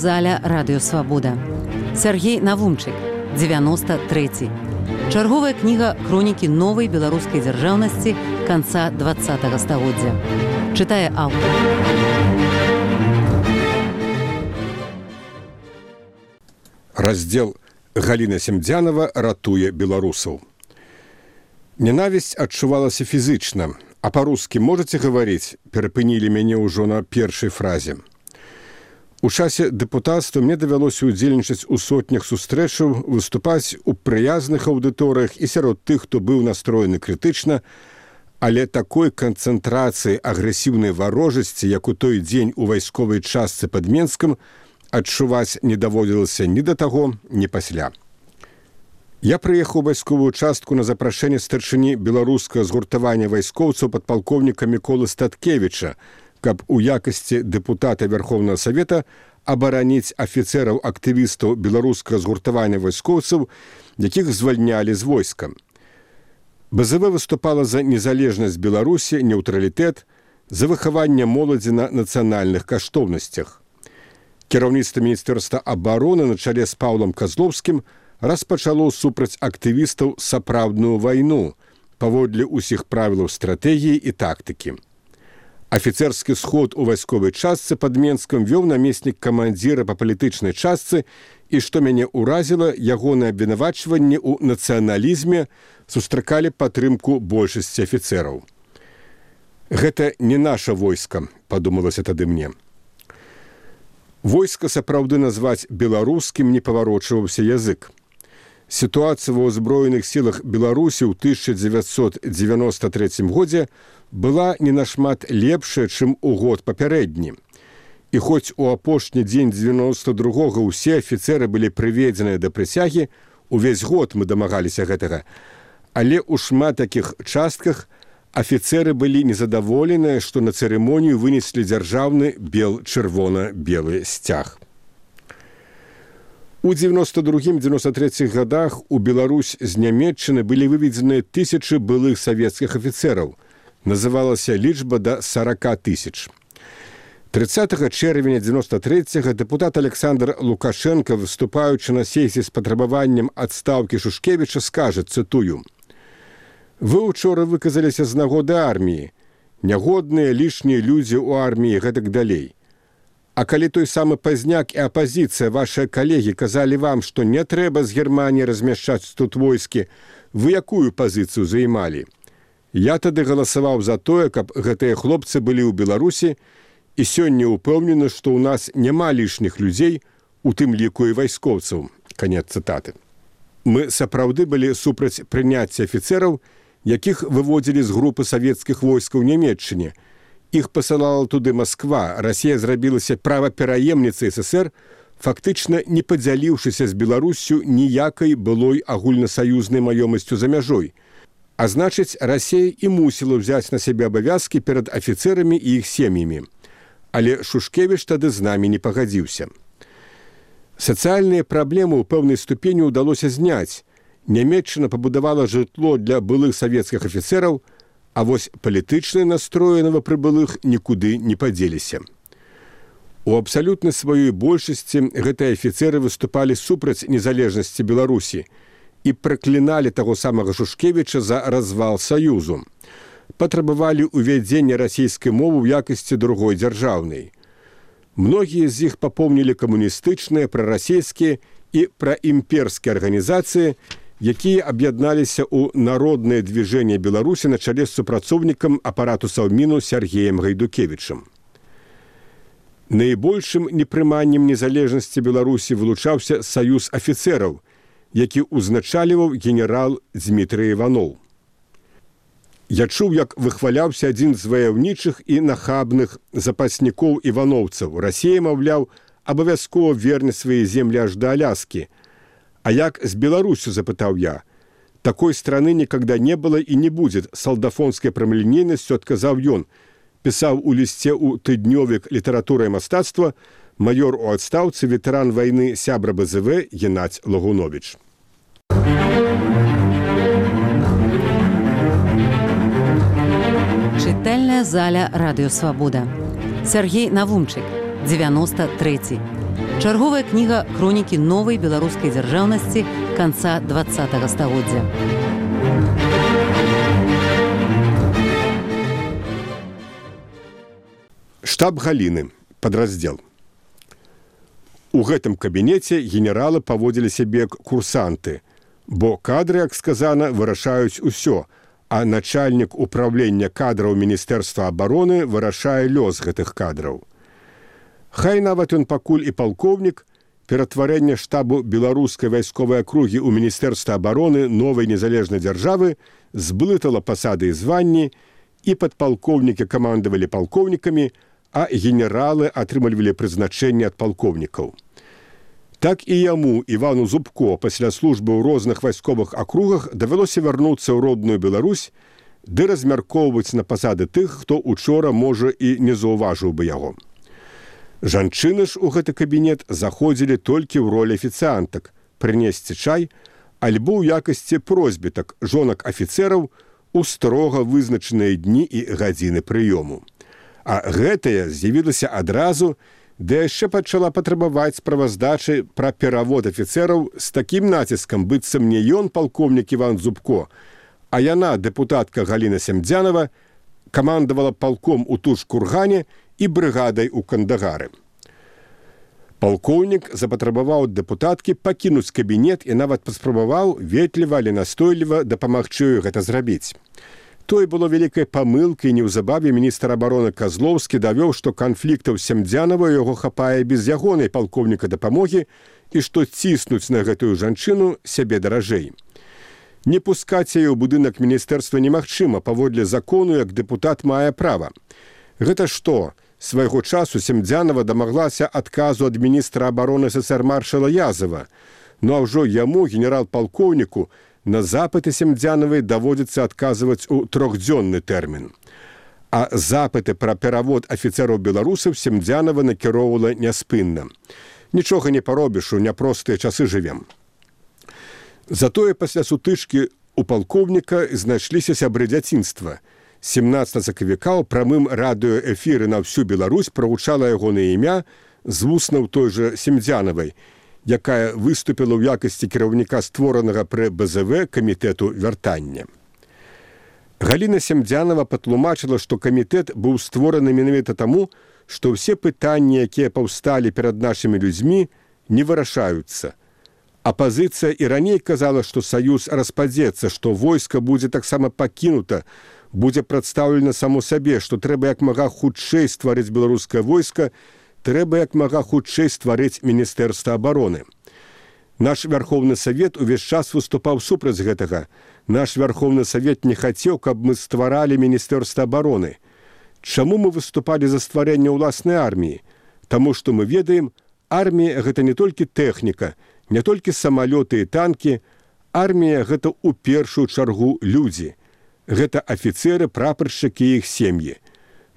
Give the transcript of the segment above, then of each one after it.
заля радыёвабода. Сяргей Навумчык, 93. Чарговая кніга хронікі новай беларускай дзяржаўнасці канца 20-го стагоддзя. Чытае аўтар. Раздзел Галіна Семдзянова ратуе беларусаў. Ненавісць адчувалася фізычна, а па-рускі можаце гаварыць, перапынілі мяне ўжо на першай фразе. У часе дэпутацтва мне давялося ўдзельнічаць у сотнях сустрэчаў, выступаць у прыязных аўдыторыях і сярод тых, хто быў настроены крытычна, але такой канцэнтрацыі агрэсіўнай варожасці, як у той дзень у вайсковай частцы пад Менскам, адчуваць не даводзілася ні да таго, ні пасля. Я прыехаў у вайсковую частку на запрашэнне старшыні беларускага згуртавання вайскоўцаў падпалкоўніка Міколы Статкевіча, каб у якасці дэпутата Верховнага Савета абараніць афіцэраў-актывістаў беларускага згуртавання вайскоўцаў, якіх звальнялі з войска. БЗВ выступала за незалежнасць Беларусі, нейтралітэт, за выхаванне моладзі на нацыянальных каштоўнасцях. Кіраўніцтва Міністэрства абароны на чале з Паўлам Казлоўскім распачало супраць актывістаў сапраўдную вайну, паводле ўсіх правілаў стратэгіі і тактыкі. Афіцэрскі сход у вайсковай частцы пад Менскам вёў намеснік камандзіра па палітычнай частцы і, што мяне ўразіла, ягонае абвінавачванне ў нацыяналізме сустракалі падтрымку большасці афіцэраў. Гэта не наша войска, падумалася тады мне. Войска сапраўды назваць беларускім не паварочваўся язык. Сітуацыя ва ўзброеных сілах Беларусі ў 1993 годзе была не нашмат лепшая, чым у год папярэдні. І хоць у апошні дзень 92-го ўсе афіцэры былі прыведзеныя да прысягі, увесь год мы дамагаліся гэтага, але ў шмат такіх частках афіцэры былі незадаволеныя, што на цырымонію вынеслі дзяржаўны бел-чырвона-белы сцяг. У 92-93 годах у Беларусь з Нямецчыны былі выведзеныя тысячы былых савецкіх афіцэраў. Называлася лічба да 40 тысяч. 30 чэрвеня 93-го дэпутат Александр Лукашенко, выступаючы на сесіі з патрабаваннем адстаўкі Шушкевіча, скажа, цытую: «Вы учора выказаліся з нагоды арміі. Нягодныя лішнія людзі ў арміі, гэтак далей. А калі той самы Пазняк і апазіцыя, вашыя калегі, казалі вам, што не трэба з Германіі размяшчаць тут войскі, вы якую пазіцыю займалі? Я тады галасаваў за тое, каб гэтыя хлопцы былі ў Беларусі, і сёння ўпэўнены, што ў нас няма лішніх людзей, у тым ліку і вайскоўцаў». Канец цытаты. Мы сапраўды былі супраць прыняцця афіцэраў, якіх выводзілі з групы савецкіх войскаў у Нямецчыне. Іх пасылала туды Масква, Расія зрабілася правапераемніцай ССР, фактычна не падзяліўшыся з Беларуссю ніякай былой агульнасаюзнай маёмасцю за мяжой. А значыць, Расія і мусіла ўзяць на сябе абавязкі перад афіцэрамі і іх сем'ямі. Але Шушкевіч тады з намі не пагадзіўся. Сацыяльныя праблемы ў пэўнай ступені ўдалося зняць. Нямецчына пабудавала жытло для былых савецкіх афіцэраў, а вось палітычныя настроі новапрыбылых нікуды не падзеліся. У абсалютнай сваёй большасці гэтыя афіцэры выступалі супраць незалежнасці Беларусі і пракліналі таго самага Шушкевіча за развал Саюзу. Патрабавалі ўвядзення расійскай мовы ў якасці другой дзяржаўнай. Многія з іх папомнілі камуністычныя, прарасійскія і праімперскія арганізацыі, якія аб'ядналіся ў народнае движение Беларусі на чале з супрацоўнікам апарату Саўміну Сергеем Гайдукевічам. Найбольшым непрыманнем незалежнасці Беларусі вылучаўся саюз афіцэраў, які ўзначаліваў генерал Дмітрый Іваноў. Я чуў, як выхваляўся адзін з ваяўнічых і нахабных запаснікоў іваноўцаў. Расія, маўляў, абавязкова верне свае землі аж да Аляскі. «А як с Беларусью?» – запытал я. «Такой страны никогда не было и не будет», – солдафонской прамалінейнасцю отказал ён. Писал у листе у тыднёвік «Литература и мастацтва» майор у адстаўцы, ветэран войны, сябра БЗВ Геннадзь Лагунович. Чытальная заля радыёвабода. Сяргей Навумчык, 93. Чарговая кніга хронікі новай беларускай дзяржаўнасці канца 20-го стагоддзя. Штаб Галіны. Падраздзел. У гэтым кабінеце генералы паводзілі сябе як курсанты, бо кадры, як сказана, вырашаюць усё, а начальнік управлення кадраў Міністэрства абароны вырашае лёс гэтых кадраў. Хай нават ён пакуль і палкоўнік, ператварэнне штабу беларускай вайсковай акругі ў Міністэрства абароны новай незалежнай дзяржавы зблытала пасады і званні, і падпалкоўнікі камандавалі палкоўнікамі, а генералы атрымлівалі прызначэнне ад палкоўнікаў. Так і яму, Івану Зубко, пасля службы ў розных вайсковых акругах давялося вярнуцца ў родную Беларусь, ды размяркоўваць на пасады тых, хто учора, можа, і не заўважыў бы яго. Жанчыны ж у гэты кабінет заходзілі толькі ў ролі афіцыантак, прынесці чай, альбо ў якасці просьбітак жонак афіцэраў у строга вызначаныя дні і гадзіны прыёму. А гэтая з'явілася адразу, да яшчэ пачала патрабаваць справаздачы пра перавод афіцэраў з такім націскам, быццам не ён палкоўнік Іван Зубко, а яна, дэпутатка Галіна Семдзянова, камандавала палком у Туш-Кургане і брыгадай у Кандагары. Палкоўнік запатрабаваў ад дэпутаткі пакінуць кабінет і нават паспрабаваў ветліва, але настойліва дапамагчы ёй гэта зрабіць. Той было вялікай памылкай, неўзабаве міністр абароны Казлоўскі давёў, што канфліктаў Семдзянова яго хапае без ягонай палкоўніка дапамогі і што ціснуць на гэтую жанчыну сябе даражэй. Не пускаць яе ў будынак міністэрства немагчыма, паводле закону, як дэпутат мае права. Гэта што? Свайго часу Семдзянова дамаглася адказу ад міністра абароны СССР маршала Язова. Ну а ўжо яму, генерал-палкоўніку, на запыты Семдзянавай даводзіцца адказваць у 3-дзённы тэрмін. А запыты пра перавод афіцэраў-беларусаў Семдзянава накіроўвала няспынна. Нічога не паробіш, у няпростыя часы жывем. Затое пасля сутычкі у палкоўніка знайшліся сябры дзяцінства. 17 сакавіка ў прамым радыёэфіры на ўсю Беларусь прагучала ягонае імя з вуснаў той жа Семдзянавай, якая выступіла ў якасці кіраўніка створанага пры БЗВ камітэту вяртання. Галіна Семдзянова патлумачыла, што камітэт быў створаны менавіта таму, што ўсе пытанні, якія паўсталі перад нашымі людзьмі, не вырашаюцца. Апазіцыя і раней казала, што саюз распадзецца, што войска будзе таксама пакінута, будзе прадстаўлена само сабе, што трэба як мага хутчэй стварыць беларускае войска, трэба як мага хутчэй стварыць Міністэрства абароны. Наш Вярхоўны Савет увесь час выступаў супраць гэтага. Наш Вярхоўны Савет не хацеў, каб мы стваралі Міністэрства абароны. Чаму мы выступалі за стварэнне ўласнай арміі? Таму што мы ведаем, армія – гэта не толькі тэхніка, не толькі самалёты і танкі, армія – гэта ў першую чаргу людзі. Гэта афіцэры, прапаршчыкі і іх сем'і.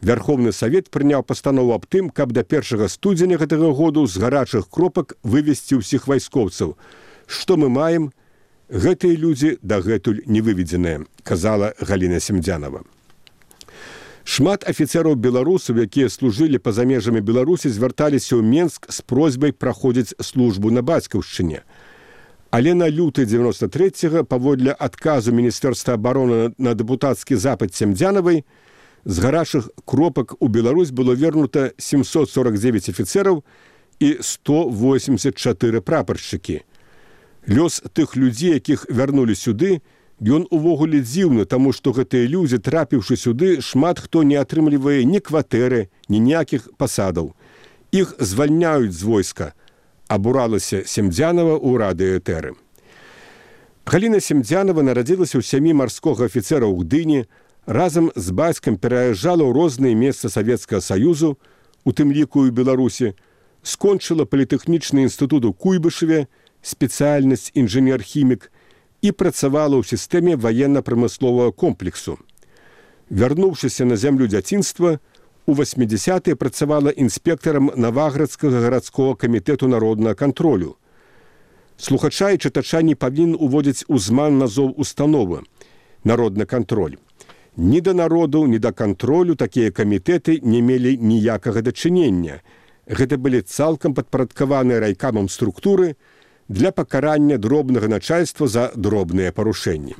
Вярхоўны Савет прыняў пастанову аб тым, каб да 1 студзеня гэтага году з гарачых кропак вывесці ўсіх вайскоўцаў. Што мы маем? Гэтыя людзі дагэтуль не выведзеныя, казала Галіна Семдзянова. Шмат афіцэраў-беларусаў, якія служылі па-за межамі Беларусі, звярталіся ў Менск з просьбай праходзіць службу на бацькаўшчыне. Але на люты 93-го, паводле адказу Міністэрства абароны на дэпутацкі запыт Семдзянавай, з гарачых кропак у Беларусь было вернута 749 афіцэраў і 184 прапаршчыкі. Лёс тых людзей, якіх вярнулі сюды, ён увогуле дзіўны, таму што гэтыя людзі, трапіўшы сюды, шмат хто не атрымлівае ні кватэры, ні ніякіх пасадаў. Іх звальняюць з войска, абуралася Семдзянова ў радыёэтэры. Галіна Семдзянова нарадзілася ў сям'і марскога афіцэра ў Гдыні, разам з бацькам пераязджала ў розныя месцы Савецкага Саюзу, у тым ліку і Беларусі, скончыла політэхнічны інстытут у Куйбышеве, спецыяльнасць інжынер-хімік і працавала ў сістэме ваенна-прамысловага комплексу. Вярнуўшыся на зямлю дзяцінства, у 80-е працавала інспектарам Наваградскага гарадскога камітэту народнага кантролю. Слухача і чытача не павінен уводзіць у зман назоў установы «Народны кантроль». Ні да народу, ні да кантролю такія камітэты не мелі ніякага дачынення. гэта былі цалкам падпарадкаваныя райкамам структуры для пакарання дробнага начальства за дробныя парушэнні.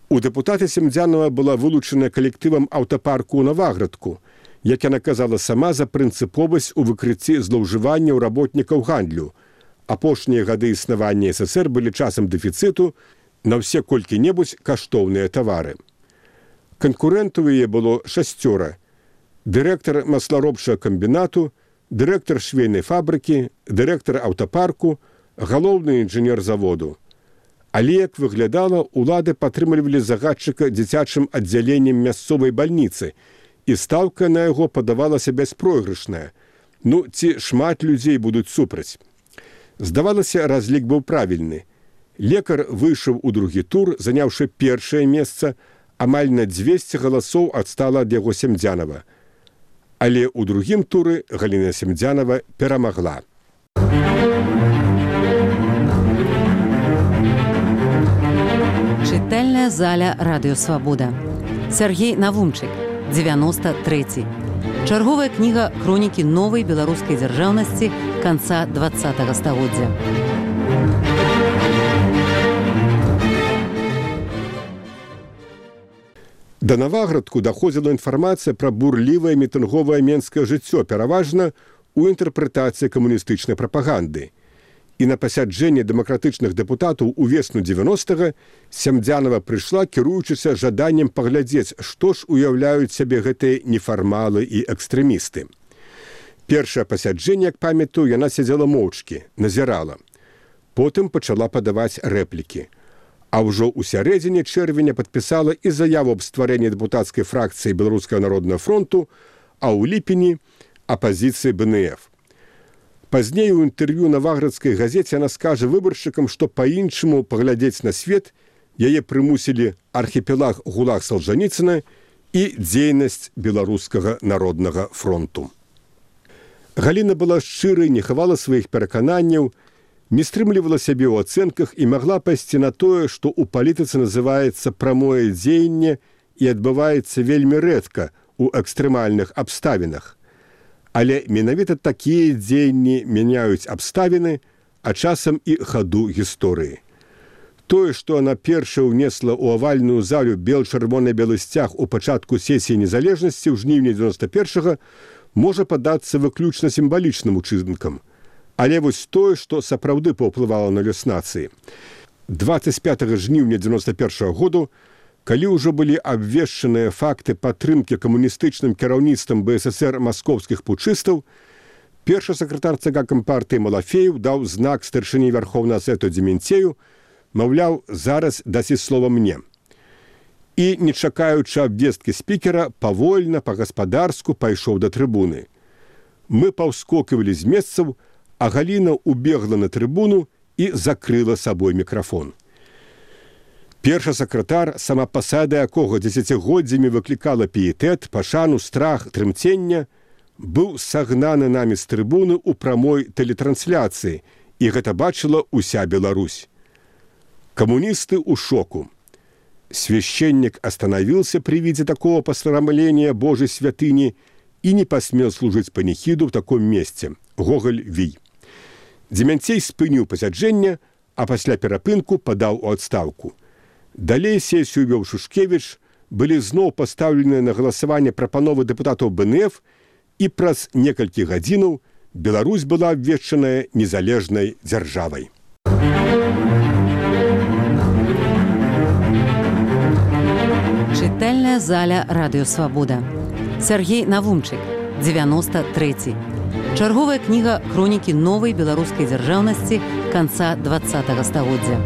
У дэпутата Семдзянова была вылучана калектывам аўтапарку ў Наваградку, як яна казала сама, за прынцыповасць у выкрыцці злоўжыванняў работнікаў гандлю. Апошнія гады існавання ССР былі часам дэфіцыту на ўсе колькі-небудзь каштоўныя тавары. Канкурэнтаў яе было 6: дырэктар масларобчага камбінату, дырэктар швейнай фабрыкі, дырэктар аўтапарку, галоўны інжынер заводу. Але, як выглядала, улады падтрымлівалі загадчыка дзіцячым аддзяленнем мясцовай бальніцы, і стаўка на яго падавалася бяспройгрышная. Ці шмат людзей будуць супраць. Здавалася, разлік быў правільны. Лекар выйшаў у другі тур, заняўшы першае месца, амаль на 200 галасоў адстала ад яго Семдзянова. Але ў другім туры Галіна Семдзянова перамагла. Чытальная заля Радыё Свабода. Сергей Навумчык, 93. Чарговая кніга хронікі новай беларускай дзяржаўнасці канца 20-го стагоддзя. Да Наваградку даходзіла інфармацыя пра бурлівае мітынговае менскае жыццё, пераважна ў інтэрпрэтацыі камуністычнай прапаганды. І на пасяджэнне дэмакратычных дэпутатаў увесну 90-га Семдзянова прыйшла, кіруючыся жаданнем паглядзець, што ж уяўляюць сябе гэтыя нефармалы і экстрэмісты. Першае пасяджэнне, як памятаю, яна сядзела моўчкі, назірала. Потым пачала падаваць рэплікі. А ўжо ў сярэдзіне чэрвеня падпісала і заяву аб стварэнні дэпутацкай фракцыі Беларускага народнага фронту, а ў ліпені апазіцыі БНФ. Пазней у інтэрв'ю Наваградскай газеце яна скажа выбаршчыкам, што па-іншаму паглядзець на свет яе прымусілі архіпелаг ГУЛАГ Салжаніцына і дзейнасць Беларускага народнага фронту. Галіна была шчырай, не хавала сваіх перакананняў, не стрымлівала сябе ў ацэнках і магла пайсці на тое, што ў палітыцы называецца прамое дзеянне і адбываецца вельмі рэдка ў экстрэмальных абставінах. Але менавіта такія дзеянні мяняюць абставіны, а часам і хаду гісторыі. Тое, што яна першая ўнесла ў авальную залю бел-чырвона-белы сцяг у пачатку сесіі незалежнасці ў жніўні 91-го, можа падацца выключна сімвалічным учынкам. Але вось тое, што сапраўды паўплывала на лёс нацыі. 25 жніўня 91-го году, калі ўжо былі абвешчаныя факты падтрымкі камуністычным кіраўніцтвам БССР маскоўскіх путчыстаў, першы сакратар ЦК Кампартыі Малафеев даў знак старшыні Вярхоўнага Савету Дземінцею, маўляў, зараз дасі слова мне. І, не чакаючы абвесткі спікера, павольна, па-гаспадарску пайшоў да трыбуны. Мы паўскоквалі з месцаў, а Галіна убегла на трыбуну і закрыла сабой мікрафон. Першы сакратар, сама пасада якога дзесяцігоддзямі выклікала піетэт, пашану, страх, трымцення, быў сагнаны намі з трыбуны ў прамой тэлетрансляцыі, і гэта бачыла ўся Беларусь. Камуністы ў шоку. Священник остановился при виде такого посрамления Божьей святыни и не посмел служить панихиду в таком месте. Гоголь Вий. Дземянцей спыніў пасяджэнне, а пасля перапынку падаў у адстаўку. Далей сесію вёў Шушкевіч, былі зноў пастаўленыя на галасаванне прапановы дэпутатаў БНФ, і праз некалькі гадзінаў Беларусь была абвешчаная незалежнай дзяржавай. Чытальная заля Радыё Свабода. Сергей Навумчык, 93. Чарговая кніга хронікі новай беларускай дзяржаўнасці канца 20-го стагоддзя.